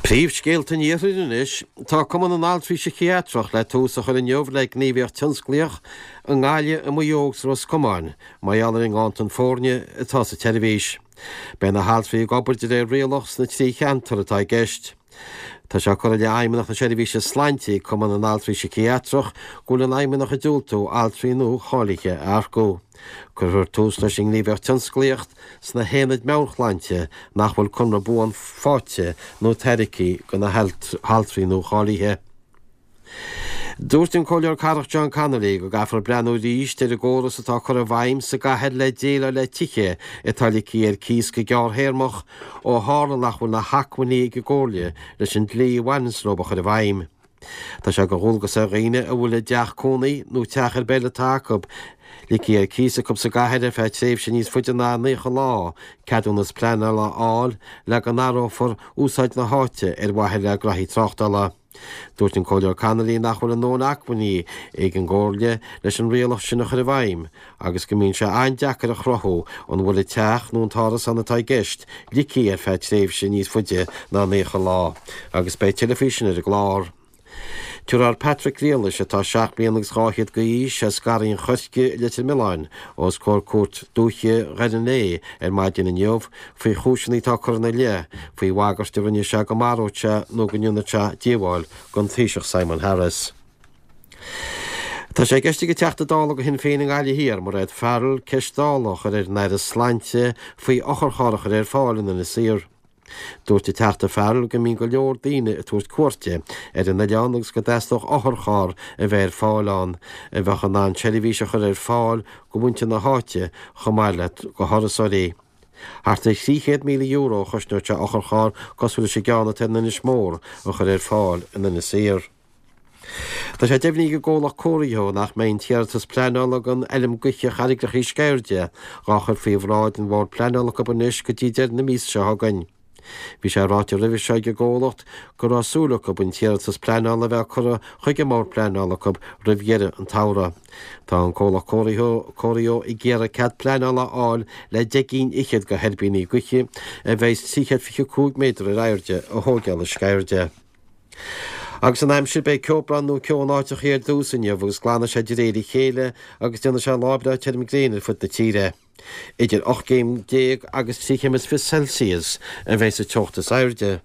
Príomhscéalta an Iarthair anois. Tá Cumann na nAltraí Síciatrach le tús a chur inniu le gníomhaíocht tionsclaíoch i nGaillimh, i Maigh Eo agus i Ros Comáin mar gheall ar an nganntan foirne atá sa tseirbhís. Beidh na haltraí ag obair de réir rialach sna 3 cheantar atá i gceist. Tá sé curtha i leith Fheidhmeannacht na Seirbhíse Sláinte ag Cumann na nAltraí Síciatrach go bhfuil an Fheidhmeannacht ag diúltú altraí nua cháilithe a earcú. Cuirfear tús leis an ngníomhaíocht tionsclaíocht sna haonaid meabhairshláinte nach bhfuil conradh buan faighte nó tairgthe do na haltraí nua-cháilithe. Dúirt an Comhairleoir Cathrach John Connolly go gcaithfear breathnú arís ar an gcóras atá curtha i bhfeidhm sa gcathair le déileáil le tithe atá ligthe ar cíos go gearrthéarmach ó tharla nach bhfuil na hacmhainní ag an gComhairle leis an dlí a bhaineanns leo a chur i bhfeidhm. Tá sé de dhualgas ar dhaoine a bhfuil a dteach cónaí nó teach ar bith eile atá acu ligthe ar cíos acu sa gcathair ar feadh tréimhse níos faide ná 90 lá ceadúnas pleanála a fháil le go n-athrófar úsáid na háite ar mhaithe le graithí tráchtála. Dúirt an Comhairleoir Connolly nach bhfuil a ndóthain acmhainní ag an gComhairle leis an rialach sin a chur i bhfeidhm agus go mbíonn sé an-deacair a chruthú an bhfuil an teach nó an t-árasán atá i gceist ligthe ar feadh tréimhse níos faide ná 90 lá agus beidh tuilleadh faoi sin ar an gclár. Tabharfar Patrick Griallais, atá seacht mbliana agus 200 d'aois, as Garraí an Choirce i Leitir Mealláin, os comhair Cúirt Dúiche Dhoire an Léith ar maidin inniu faoi chúiseanna atá curtha ina leith faoi bhagairt a rinne sé go maródh sé nó go ndéanfadh sé díobháil don Taoiseach Simon Harris. Tá sé i gceist ag an Teachta Dála do Shinn Féin i nGaillimh Thiar, Mairéad Farrell, ceist Dála a chur ar an Aire Sláinte faoi otharcharr a chur ar fáil in Inis Oírr. Dúirt an Teachta Farrell go mbíonn go leor daoine ag tabhairt cuairte ar an oileán agus go dteastódh otharcharr a bheith ar fáil ann a bheadh in ann seirbhís a chur ar fáil go mhuintir na háite chomh maith le go thurasóirí. Thart ar €300,000 a chosnódh sé otharcharr cosúil leis an gceann atá in Inis Mór a chur ar fáil in Inis Oírr. Tá sé deimhnithe ag an gcomhlacht Corio nach mbeidh an t-iarratas pleanála don fheilm gaoithe Charraigreacha Sceirde dhá chur faoi bhráid an Bhord Pleanála acu anois go dtí deireadh na míosa seo chugainn. Bhí sé ráite roimhe seo ag an gcomhlacht go raibh súil acu an t-iarratas pleanála a bheith curtha chuig an mBord Pleanála acu roimh dheireadh an tsamhraidh. Tá an comhlacht Corio ag iarraidh cead pleanála a fháil le 10 gcinn fhichead de thuirbíní gaoithe a bheas 325 méadar ar airde a thóigeáil i Sceirde. Agus an aimsir, beidh ceobhrán nó ceo in áiteachaí ar dtús inniu agus glanfaidh sé de réir a chéile agus déanfaidh sé lá breá tirim gréine ar fud na tíre. Idir 18 gcéim agus 23 chéim is fiche Celsius a bheidh sa teocht is airde.